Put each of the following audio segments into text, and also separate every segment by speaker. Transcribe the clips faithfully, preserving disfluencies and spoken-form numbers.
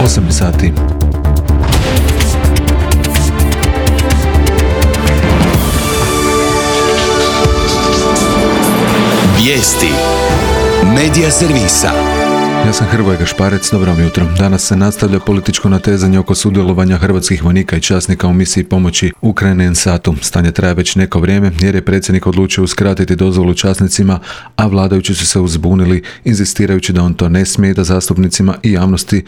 Speaker 1: osam sati.
Speaker 2: Vijesti Medija servisa.
Speaker 1: Ja sam Hrvoje Gašparec, dobro vam jutro. Danas se nastavlja političko natezanje oko sudjelovanja hrvatskih vojnika i časnika u misiji pomoći Ukrajini en satu. Stanje traje već neko vrijeme jer je predsjednik odlučio uskratiti dozvolu časnicima, a vladajući su se uzbunili, inzistirajući da on to ne smije, da zastupnicima i javnosti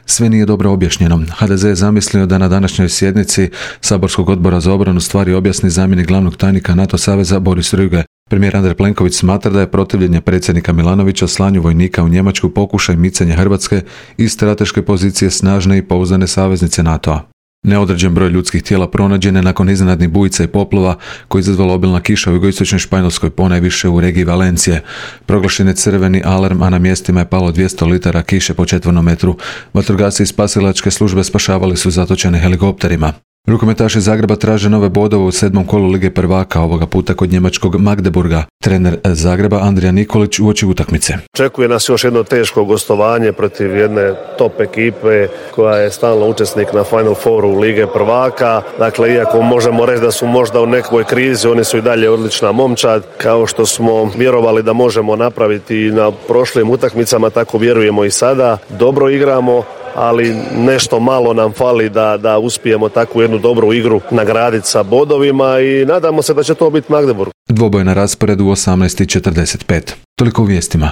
Speaker 1: sve nije dobro objašnjeno. ha de ze je zamislio da na današnjoj sjednici Saborskog odbora za obranu stvari objasni zamjenik glavnog tajnika NATO saveza Boris Rüge. Premijer Andrej Plenković smatra da je protivljenje predsjednika Milanovića slanju vojnika u Njemačku pokušaj micanja Hrvatske iz strateške pozicije snažne i pouzdane saveznice NATO-a. Neodređen broj ljudskih tijela pronađen je nakon iznenadnih bujica i poplava koji je izazvala obilna kiša u jugoistočnoj Španjolskoj, ponajviše u regiji Valencije. Proglašen je crveni alarm, a na mjestima je palo dvjesto litara kiše po četvornom metru. Vatrogasci i spasilačke službe spašavali su zatočene helikopterima. Rukometaši Zagreba traže nove bodove u sedmom kolu Lige prvaka, ovoga puta kod njemačkog Magdeburga. Trener Zagreba Andrija Nikolić uoči utakmice.
Speaker 3: Očekuje nas još jedno teško gostovanje protiv jedne top ekipe koja je stalno učesnik na Final Fouru Lige prvaka. Dakle, iako možemo reći da su možda u nekoj krizi, oni su i dalje odlična momčad. Kao što smo vjerovali da možemo napraviti na prošlim utakmicama, tako vjerujemo i sada. Dobro igramo, ali nešto malo nam fali da, da uspijemo takvu jednu dobru igru nagraditi sa bodovima i nadamo se da će to biti Magdeburg.
Speaker 1: Dvoboj na rasporedu u osamnaest i četrdeset pet. Toliko u vijestima.